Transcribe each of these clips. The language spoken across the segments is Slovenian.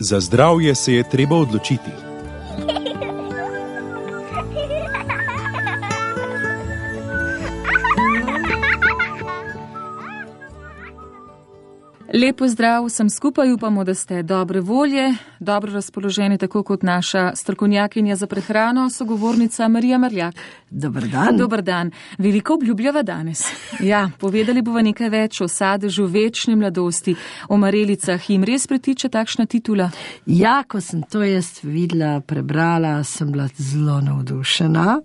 Za zdravje se je treba odločiti. Lepo zdrav, sem skupaj, upamo, da ste dobre volje, dobro razpoloženi, tako kot naša strokovnjakinja za prehrano, sogovornica Marija Marljak. Dobar dan. Dobar dan. Veliko obljubljava danes. Ja, povedali bova nekaj več o sadežu večne mladosti, o marelicah. Jim res pritiče takšna titula? Ja, ko sem to jaz videla, prebrala, sem bila zelo navdušena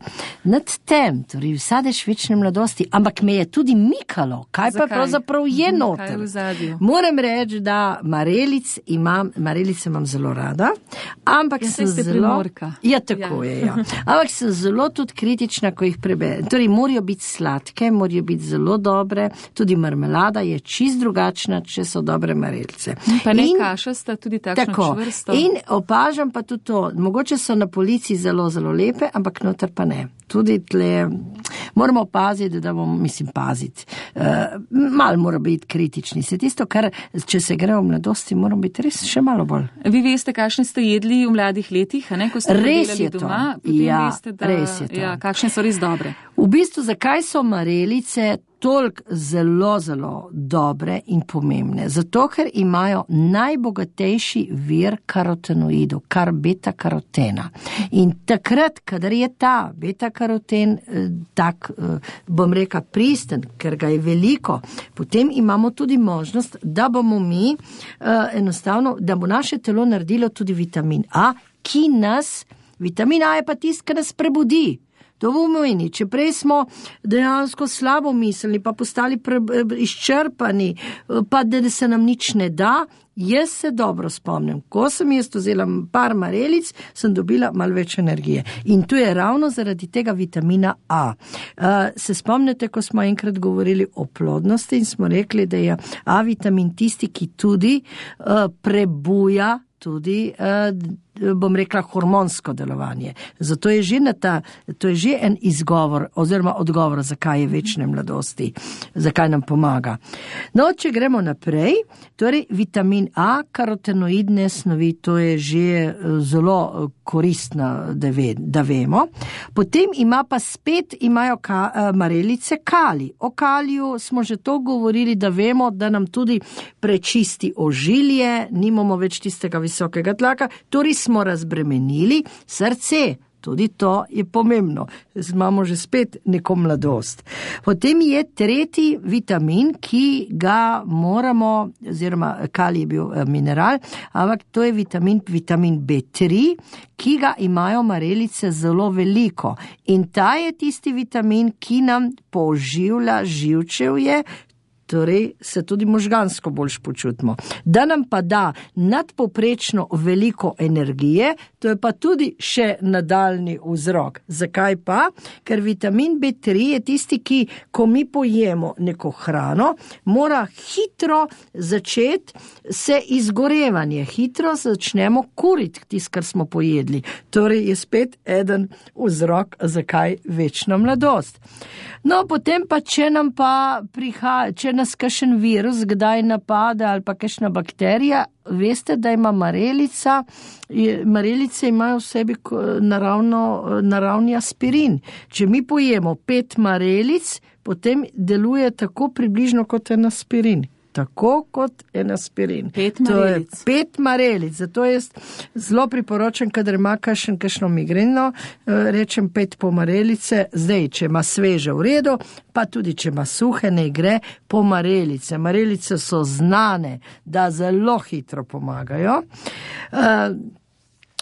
nad tem, torej sadež večne mladosti, ampak me je tudi mikalo, kaj pa pravzaprav je noter. Kaj je v zadju? Moram reči, da marelice imam zelo rada, ampak sem zelo... Ja, tako je, ja. Ampak sem zelo tudi kritična, ko jih preberem. Torej, morajo biti sladke, morajo biti zelo dobre, tudi marmelada je čist drugačna, če so dobre marelice. Pa ne kašasta, tudi takšno čvrsto. In opažam pa tudi to, mogoče so na polici zelo, zelo lepe, ampak noter pa ne. Tudi tle moramo paziti, da bomo, paziti. Malo mora biti kritični. Se tisto, kar, če se gre v mladosti, moramo biti res še malo bolj. Vi veste, kakšne ste jedli v mladih letih, a ne? Ko ste delali doma, potem veste, da res je to. Ja, kakšne so res dobre. V bistvu, zakaj so marelice toliko zelo, zelo dobre in pomembne? Zato, ker imajo najbogatejši vir karotenoidov, kar beta-karotena. In takrat, kadar je ta beta-karoten tak, bom rekla, pristen, ker ga je veliko, potem imamo tudi možnost, da bomo mi enostavno, da bo naše telo naredilo tudi vitamin A, vitamin A je pa tist, ki nas prebudi. To pomeni, če prej smo dejansko slabo mislili, pa postali izčrpani, pa da se nam nič ne da, jaz se dobro spomnim. Ko sem jaz vzela par marelic, sem dobila malo več energije. In to je ravno zaradi tega vitamina A. Se spomnite, ko smo enkrat govorili o plodnosti in smo rekli, da je A vitamin tisti, ki tudi prebuja tudi, bom rekla, hormonsko delovanje. Zato je to je že en izgovor oziroma odgovor, zakaj je večne mladosti, zakaj nam pomaga. No, če gremo naprej, torej vitamin A, karotenoidne snovi, to je že zelo koristno, da vemo. Potem imajo marelice kalij. O kaliju smo že to govorili, da vemo, da nam tudi prečisti ožilje, nimamo več tistega visokega tlaka, torej smo razbremenili srce. Tudi to je pomembno. Imamo že spet neko mladost. Potem je tretji vitamin, ki ga moramo, oziroma kalij je bil mineral, ampak to je vitamin B3, ki ga imajo marelice zelo veliko. In ta je tisti vitamin, ki nam poživlja živčevje, torej se tudi možgansko boljš počutimo. Da nam pa da nadpovprečno veliko energije, to je pa tudi še nadaljni vzrok. Zakaj pa? Ker vitamin B3 je tisti, ki, ko mi pojemo neko hrano, mora hitro začeti se izgorevanje, hitro začnemo kuriti tisto, kar smo pojedli. Torej je spet eden vzrok, zakaj večna mladost. No, potem pa, če nas kakšen virus kdaj napade ali pa kakšna bakterija, veste, da ima marelice imajo v sebi naravni aspirin. Če mi pojemo 5 marelic, potem deluje tako približno kot en aspirin. Tako kot en aspirin. 5 marelic. To je 5 marelic. Zato jaz zelo priporočam, kadar ima kakšno migreno, rečem 5 po marelice. Zdaj, če ima sveže v redu, pa tudi če ima suhe, ne gre po marelice. Marelice so znane, da zelo hitro pomagajo.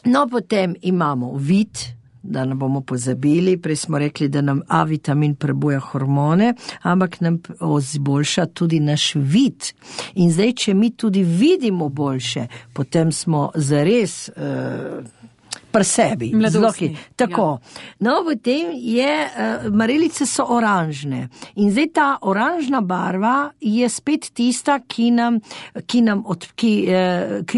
No, potem imamo vid, da ne bomo pozabili, prej smo rekli, da nam A vitamin prebuja hormone, ampak nam izboljša tudi naš vid. In zdaj, če mi tudi vidimo boljše, potem smo zares pri sebi. Mladostni. Tako. No, potem marelice so oranžne. In zdaj ta oranžna barva je spet tista, ki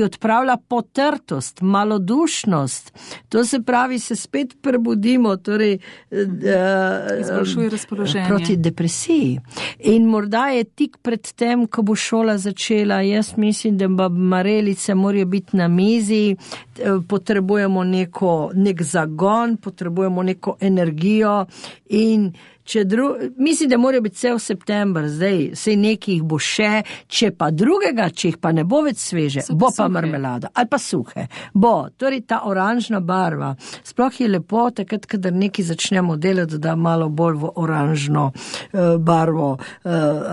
odpravlja potrtost, malodušnost. To se pravi, se spet prebudimo, torej izboljšuje razpoloženje. Proti depresiji. In morda je tik pred tem, ko bo šola začela, jaz mislim, da marelice morajo biti na mizi, potrebujemo nek zagon, potrebujemo neko energijo in mislim, da morajo biti cel september, zdaj, sej nekih bo še, če jih pa ne bo več sveže, bo pa marmelada, ali pa suhe. Torej ta oranžna barva, sploh je lepo, takrat, kadar nekaj začnemo delati, da malo bolj v oranžno barvo,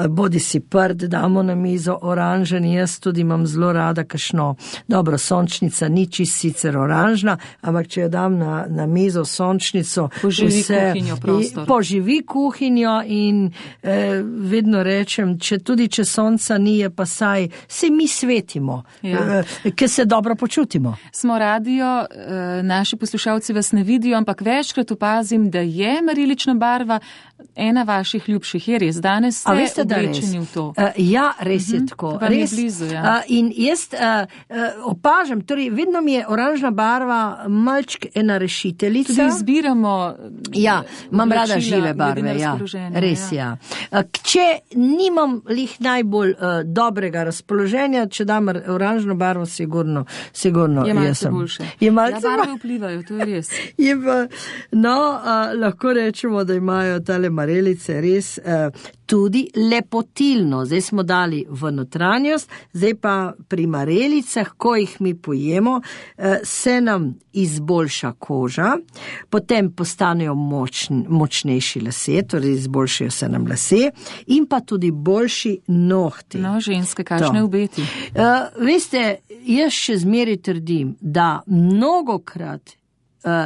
bodi si prd, damo na mizo oranžen, jaz tudi imam zelo rada kakšno, dobro, sončnica ni čist sicer oranžna, ampak če jo dam na mizo sončnico, poživi kuhinjo prostor. Poživi kuhinjo in vedno rečem, če sonca ni, je pa saj, se mi svetimo, ker se dobro počutimo. Smo radio, naši poslušalci vas ne vidijo, ampak večkrat opazim, da je marelična barva ena vaših ljubših, je res, danes ste oblečeni v to. Ja, res je tako. Vam je blizu, ja. In jaz opažam, torej vedno mi je oranžna barva malčk ena rešiteljica. Tudi izbiramo imam rada žive barve, res, ja. Če nimam lih najbolj dobrega razpoloženja, če dam oranžno barvo, sigurno je malce boljše. Barve vplivajo, to je res. Lahko rečemo, da imajo tale marelice res tudi lepotilno. Zdaj smo dali v notranjost, zdaj pa pri marelicah, ko jih mi pojemo, se nam izboljša koža, potem postanejo močnejši lasje, torej izboljšajo se nam lasje in pa tudi boljši nohti. No, ženske, kakšne obeti? Veste, jaz še zmeraj trdim, da mnogokrat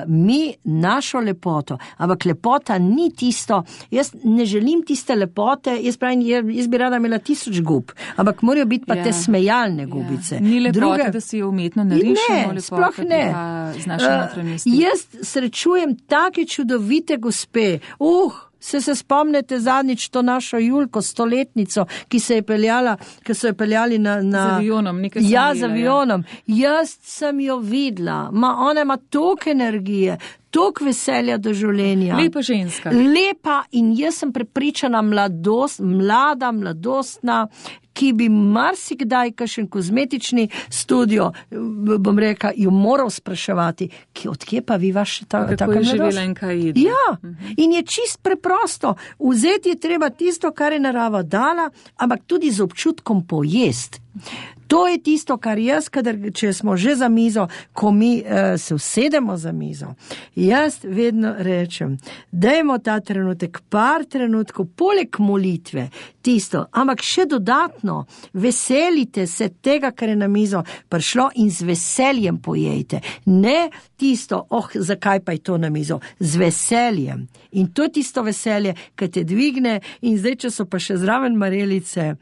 mi našo lepoto, ampak lepota ni tisto, jaz ne želim tiste lepote, jaz bi rada imela 1000 gub, ampak morajo biti pa te smejalne gubice. Ni lepote, da si jo umetno narišemo, lepote, sploh ne. Z našim notranjosti. Jaz srečujem take čudovite gospe, se spomnite zadnjič to našo Julko, 100-letnico, ki so jo peljali na z avionom, z avionom. Jaz sem jo videla, ona ima toliko energije, toliko veselja do življenja. Lepa ženska. Lepa in jaz sem prepričana mladostna, ki bi marsikdaj kakšen kozmetični studio, bom rekla, jo moral spraševati, odkje pa vi vaš taka mladost? Kako je živela in kaj jede? Ja, in je čist preprosto. Vzeti je treba tisto, kar je narava dala, ampak tudi z občutkom pojesti. To je tisto, kar jaz, če smo že za mizo, ko mi se usedemo za mizo, jaz vedno rečem, dajmo ta trenutek, par trenutkov, poleg molitve, tisto, ampak še dodatno, veselite se tega, kar je na mizo prišlo in z veseljem pojejte. Ne tisto, zakaj pa je to na mizo, z veseljem. In to je tisto veselje, ki te dvigne in zdaj, če so pa še zraven marelice,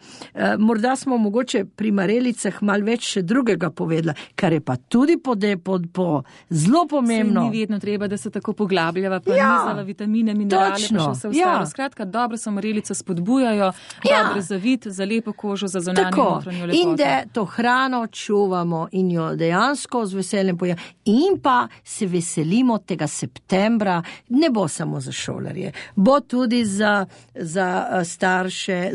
morda smo mogoče pri marelicah malo več še drugega povedala, kar je pa tudi zelo pomembno. Se ni vedno treba, da se tako poglabljava, pa nizava vitamine, minerale, pa še vse ostalo. Skratka, dobro so marelice spodbujajo, dobre za vid, za lepo kožo, za zunanjo notranjo lepoto. In da to hrano čuvamo in jo dejansko z veseljem pojemo. In pa se veselimo tega septembra, ne bo samo za šolarje, bo tudi za starše,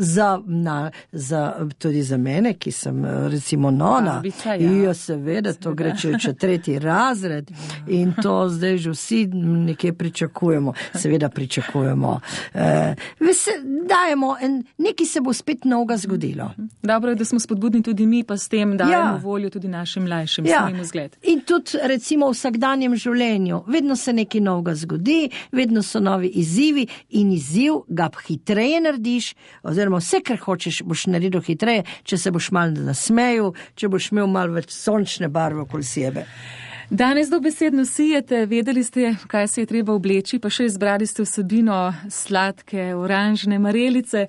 tudi za mene, ki sem recimo nona. Ja, seveda, to gre če 3. razred in to zdaj že vsi nekje pričakujemo. Seveda pričakujemo. Dajemo, nekaj se bo spet novega zgodilo. Dobro je, da smo spodbudni tudi mi, pa s tem dajemo voljo tudi našim mlajšim, svojim vzgled. In tudi recimo v vsakdanjem življenju. Vedno se nekaj novega zgodi, vedno so novi izzivi in izziv ga hitreje narediš, oziroma vse, kar hočeš, boš naredil hitreje, če se boš malo nasmejal, če boš imel malo več sončne barve okoli sebe. Danes dobesedno sijete, vedeli ste, kaj se je treba obleči, pa še izbrali ste vsebino sladke, oranžne marelice.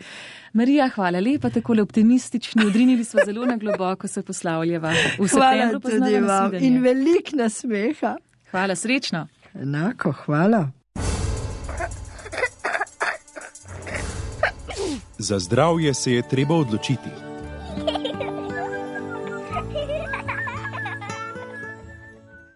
Marija, hvala lepa, takole optimistični, odrinili smo zelo na globoko, se poslavljava. Hvala tudi vam in veliko nasmeha. Hvala, srečno. Enako, hvala. Za zdravje se je treba odločiti.